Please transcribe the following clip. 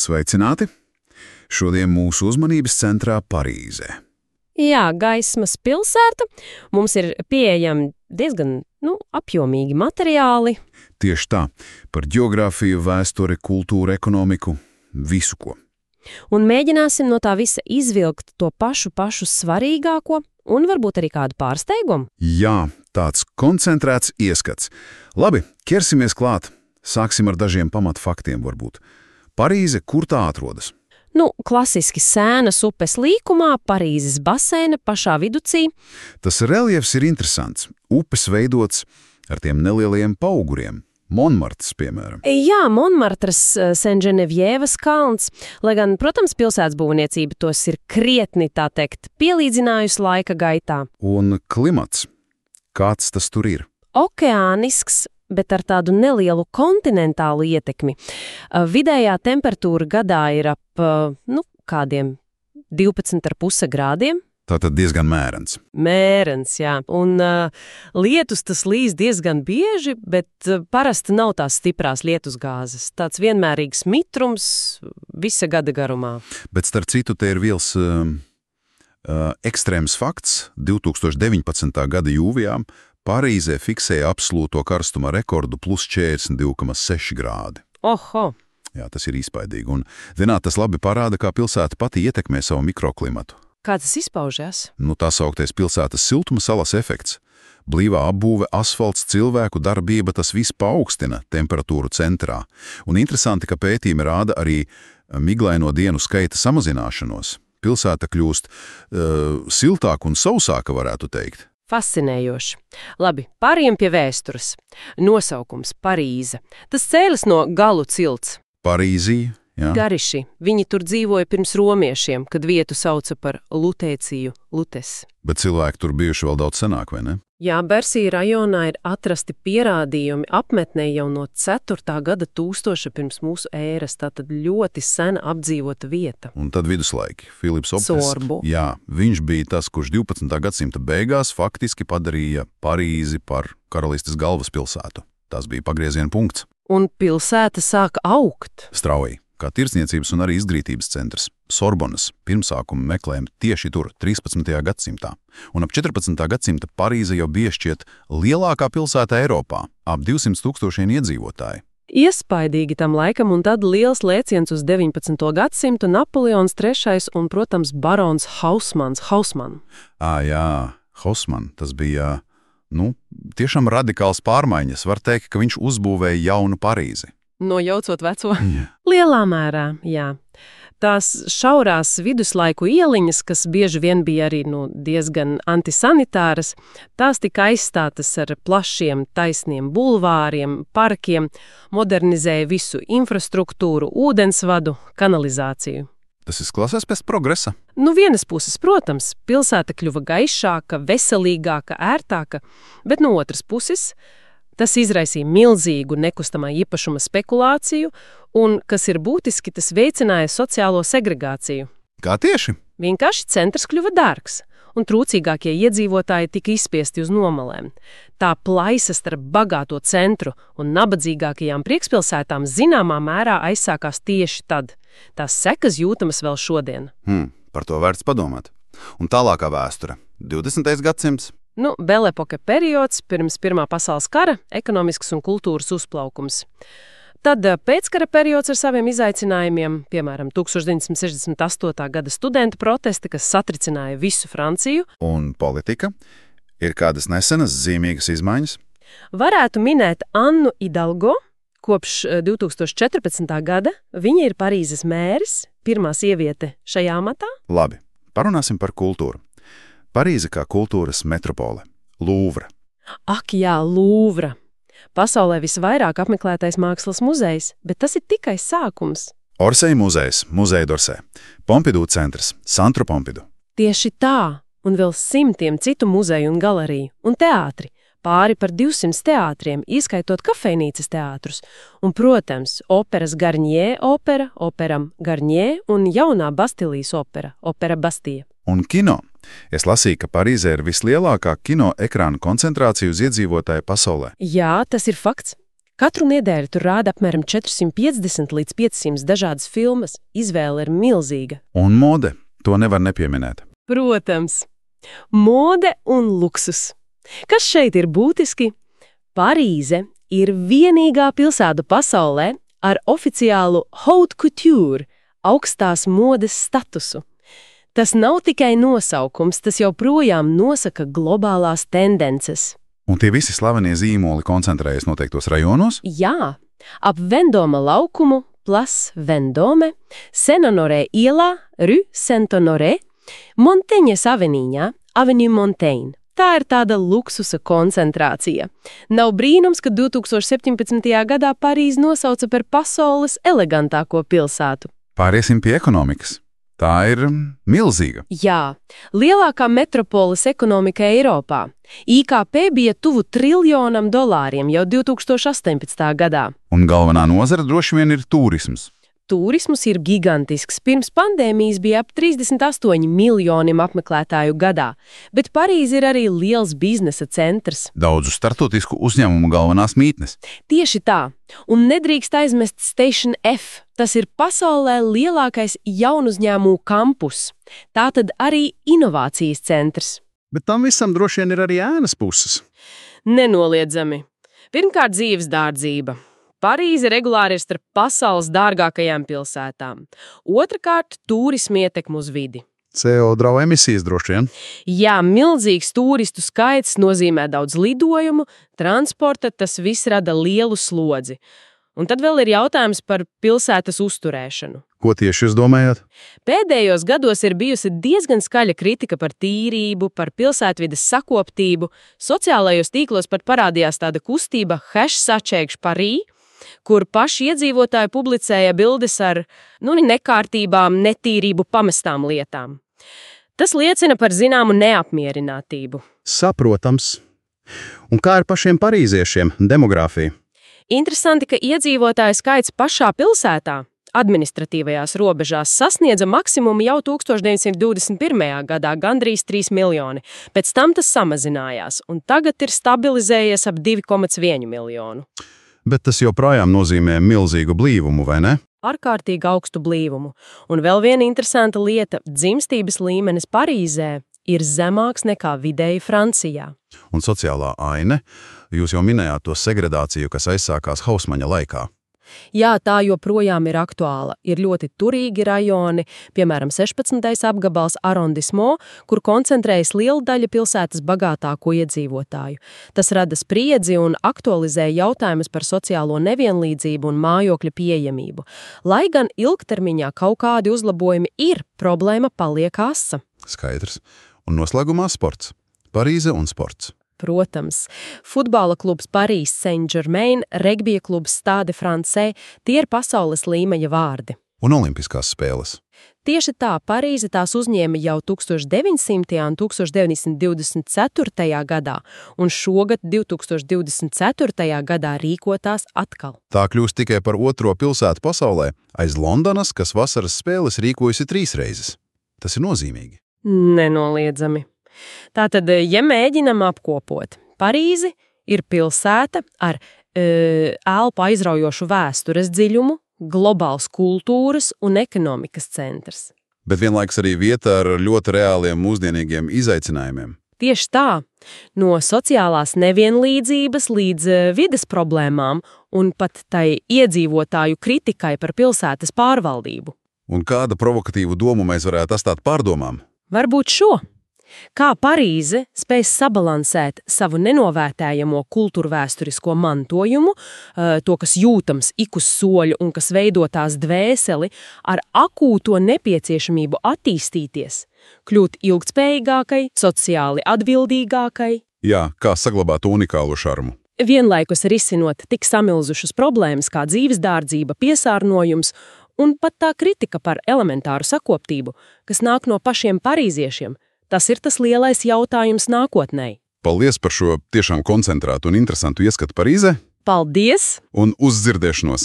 Sveicināti! Šodien mūsu uzmanības centrā Parīzē. Jā, gaismas pilsēta. Mums ir pieejami diezgan apjomīgi materiāli. Tieši tā, par ģeogrāfiju, vēsturi, kultūru, ekonomiku, visu ko. Un mēģināsim no tā visa izvilkt to pašu svarīgāko un varbūt arī kādu pārsteigumu. Jā, tāds koncentrēts ieskats. Labi, ķersimies klāt. Sāksim ar dažiem pamatfaktiem varbūt. Parīze, kur tā atrodas? Klasiski Sēnas upes līkumā, Parīzes baseina pašā viducī. Tas reljefs ir interesants. Upes veidots ar tiem nelieliem pauguriem. Monmartras, piemēram. Jā, Monmartras, Saint-Genevièves kalns, lai gan, protams, pilsētas būvniecība tos ir krietni, tā teikt, pielīdzinājusi laika gaitā. Un klimats, kāds tas tur ir? Okeānisks, bet ar tādu nelielu kontinentālu ietekmi. Vidējā temperatūra gadā ir ap, kādiem 12,5 grādiem. Tātad diezgan mērens. Mērens, jā. Un lietus tas līs diezgan bieži, bet parasti nav tās stiprās lietusgāzes. Tāds vienmērīgs mitrums visa gada garumā. Bet starp citu, te ir viens ekstrēms fakts. 2019. gada jūlijā Parīzē fiksēja absolūto karstuma rekordu plus 42,6 grādi. Oho! Jā, tas ir izpaidīgi. Un, zināt, tas labi parāda, kā pilsēta pati ietekmē savu mikroklimatu. Kā tas izpaužas? Tā sauktais pilsētas siltuma salas efekts. Blīvā apbūve, asfalts, cilvēku darbība, tas viss paaugstina temperatūru centrā. Un interesanti, ka pētījumi rāda arī miglaino dienu skaita samazināšanos. Pilsēta kļūst siltāka un sausāka, varētu teikt. Fascinējoši. Labi, pāriem pie vēstures. Nosaukums Parīze. Tas cēlas no galu cilts. Parīzija. Jā. Gariši. Viņi tur dzīvoja pirms romiešiem, kad vietu sauca par Lutēciju, Lutes. Bet cilvēki tur bijuši vēl daudz senāk, vai ne? Jā, Bersija rajonā ir atrasti pierādījumi apmetnē jau no 4. gada tūkstoša pirms mūsu ēras, tātad ļoti sena apdzīvota vieta. Un tad viduslaiki. Filips Opes. Sorbu. Jā, viņš bija tas, kurš 12. gadsimta beigās faktiski padarīja Parīzi par karalistes galvaspilsētu. Tas bija pagrieziena punkts. Un pilsēta sāka augt. Strauji. Kā tirdzniecības un arī izglītības centrs. Sorbonas pirmsākumu meklējam tieši tur, 13. gadsimtā. Un ap 14. gadsimta Parīze jau bija šķiet lielākā pilsēta Eiropā, ap 200,000 iedzīvotāji. Iespaidīgi tam laikam, un tad liels lēciens uz 19. gadsimtu, Napoleons III un, protams, barons Haussmann. Jā, Haussmann, tas bija, tiešām radikāls pārmaiņas. Var teikt, ka viņš uzbūvēja jaunu Parīzi. Nojaucot veco? Lielā mērā, jā. Tās šaurās viduslaiku ieliņas, kas bieži vien bija arī diezgan antisanitāras, tās tika aizstātas ar plašiem, taisniem bulvāriem, parkiem, modernizēja visu infrastruktūru, ūdensvadu, kanalizāciju. Tas izklausās pēc progresa. Vienas puses, protams, pilsēta kļuva gaišāka, veselīgāka, ērtāka, bet no otras puses tas izraisīja milzīgu nekustamā īpašuma spekulāciju un, kas ir būtiski, tas veicināja sociālo segregāciju. Kā tieši? Vienkārši centrs kļuva dārgs, un trūcīgākie iedzīvotāji tika izspiesti uz nomalēm. Tā plaisa starp bagāto centru un nabadzīgākajām priekšpilsētām zināmā mērā aizsākās tieši tad. Tās sekas jūtamas vēl šodien. Par to vērts padomāt. Un tālākā vēsture. 20. gadsimts. Belepoka periods, pirms Pirmā pasaules kara, ekonomisks un kultūras uzplaukums. Tad pēckara periods ar saviem izaicinājumiem, piemēram, 1968. gada studentu protesti, kas satricināja visu Franciju. Un politika? Ir kādas nesenas zīmīgas izmaiņas? Varētu minēt Annu Hidalgo. Kopš 2014. gada viņa ir Parīzes mēris, pirmā sieviete šajā amatā. Labi, parunāsim par kultūru. Parīze kā kultūras metropole. Lūvra. Ak jā, Lūvra. Pasaulē visvairāk apmeklētais mākslas muzejs, bet tas ir tikai sākums. Orsay muzejs, Muzeja d'Orsay. Pompidou centrs, Centre Pompidou. Tieši tā, un vēl simtiem citu muzeju un galeriju, un teātri. Pāri par 200 teātriem, ieskaitot kafejnīcas teātrus. Un, protams, operas Garnier opera, operam Garnier un jaunā Bastilijas opera, opera Bastija. Un kino. Es lasīju, ka Parīzē ir vislielākā kino ekrāna koncentrācija uz iedzīvotāju pasaulē. Jā, tas ir fakts. Katru nedēļu tur rāda apmēram 450 līdz 500 dažādas filmas. Izvēle ir milzīga. Un mode, to nevar nepieminēt. Protams. Mode un luksus. Kas šeit ir būtiski? Parīze ir vienīgā pilsēta pasaulē ar oficiālu haute couture, augstās modes statusu. Tas nav tikai nosaukums, tas joprojām nosaka globālās tendences. Un tie visi slavenie zīmoli koncentrējas noteiktos rajonos? Jā, ap Vendoma laukumu, Place Vendome, Saint-Honoré ielā, Rue Saint-Honoré, Monteņas aveniņā, Avenue Montaigne. Tā ir tāda luksusa koncentrācija. Nav brīnums, ka 2017. gadā Parīzi nosauca par pasaules elegantāko pilsētu. Pāriesim pie ekonomikas. Tā ir milzīga. Jā, lielākā metropoles ekonomika Eiropā. IKP bija tuvu $1 triljonam jau 2018. gadā. Un galvenā nozara droši vien ir turisms. Turisms ir gigantisks. Pirms pandēmijas bija ap 38 miljoniem apmeklētāju gadā, bet Parīze ir arī liels biznesa centrs. Daudzu startautisku uzņēmumu galvenās mītnes. Tieši tā. Un nedrīkst aizmest Station F. Tas ir pasaulē lielākais jaunuzņēmumu kampus. Tātad arī inovācijas centrs. Bet tam visam droši vien ir arī ēnas puses. Nenoliedzami. Pirmkārt, dzīves dārdzība. Parīze regulāri ir starp pasaules dārgākajām pilsētām. Otrakārt, turisma ietekme uz vidi. CO2 emisijas droši vien. Jā, milzīgs turistu skaits nozīmē daudz lidojumu, transporta, tas viss rada lielu slodzi. Un tad vēl ir jautājums par pilsētas uzturēšanu. Ko tieši jūs domājat? Pēdējos gados ir bijusi diezgan skaļa kritika par tīrību, par pilsētvides sakoptību. Sociālajos tīklos pat parādījās tāda kustība #Paris, kur paši iedzīvotāji publicēja bildes ar nekārtībām, netīrību pamestām lietām. Tas liecina par zināmu neapmierinātību. Saprotams. Un kā ar pašiem parīziešiem, demogrāfija? Interesanti, ka iedzīvotāju skaits pašā pilsētā, administratīvajās robežās, sasniedza maksimumu jau 1921. gadā, gandrīz 3 miljoni. Pēc tam tas samazinājās, un tagad ir stabilizējies ap 2,1 miljonu. Bet tas joprojām nozīmē milzīgu blīvumu, vai ne? Ārkārtīgi augstu blīvumu. Un vēl viena interesanta lieta – dzimstības līmenis Parīzē ir zemāks nekā vidēji Francijā. Un sociālā aine, jūs jau minējāt to segregāciju, kas aizsākās Hausmaņa laikā. Jā, tā joprojām ir aktuāla. Ir ļoti turīgi rajoni, piemēram, 16. apgabals arrondissement, kur koncentrējas liela daļa pilsētas bagātāko iedzīvotāju. Tas rada spriedzi un aktualizē jautājumus par sociālo nevienlīdzību un mājokļa pieejamību. Lai gan ilgtermiņā kaut kādi uzlabojumi ir, problēma paliek asa. Skaidrs. Un noslēgumā sports. Parīze un sports. Protams, futbola klubs Paris Saint-Germain, regbija klubs Stade Francais, tie ir pasaules līmeņa vārdi. Un olimpiskās spēles. Tieši tā, Parīze tās uzņēma jau 1900. un 1924. gadā, un šogad 2024. gadā rīkotās atkal. Tā kļūst tikai par otro pilsētu pasaulē, aiz Londonas, kas vasaras spēles rīkojusi 3 reizes. Tas ir nozīmīgi. Nenoliedzami. Tātad, ja mēģinam apkopot, Parīzi ir pilsēta ar elpu aizraujošu vēstures dziļumu, globāls kultūras un ekonomikas centrs. Bet vienlaiks arī vieta ar ļoti reāliem mūsdienīgiem izaicinājumiem. Tieši tā, no sociālās nevienlīdzības līdz vides problēmām un pat tai iedzīvotāju kritikai par pilsētas pārvaldību. Un kāda provokatīvu domu mēs varētu atstāt pārdomām? Varbūt šo. Kā Parīze spēj sabalansēt savu nenovērtējamo kultūrvēsturisko mantojumu, to, kas jūtams ik uz soļu un kas veido tās dvēseli, ar akūto nepieciešamību attīstīties, kļūt ilgtspējīgākai, sociāli atbildīgākai. Jā, kā saglabāt unikālu šarmu. Vienlaikus risinot tik samilzušas problēmas kā dzīves dārdzība, piesārņojums un pat tā kritika par elementāru sakoptību, kas nāk no pašiem parīziešiem. Tas ir tas lielais jautājums nākotnē. Paldies par šo tiešām koncentrētu un interesantu ieskatu Parīzē. Paldies! Un uz dzirdēšanos!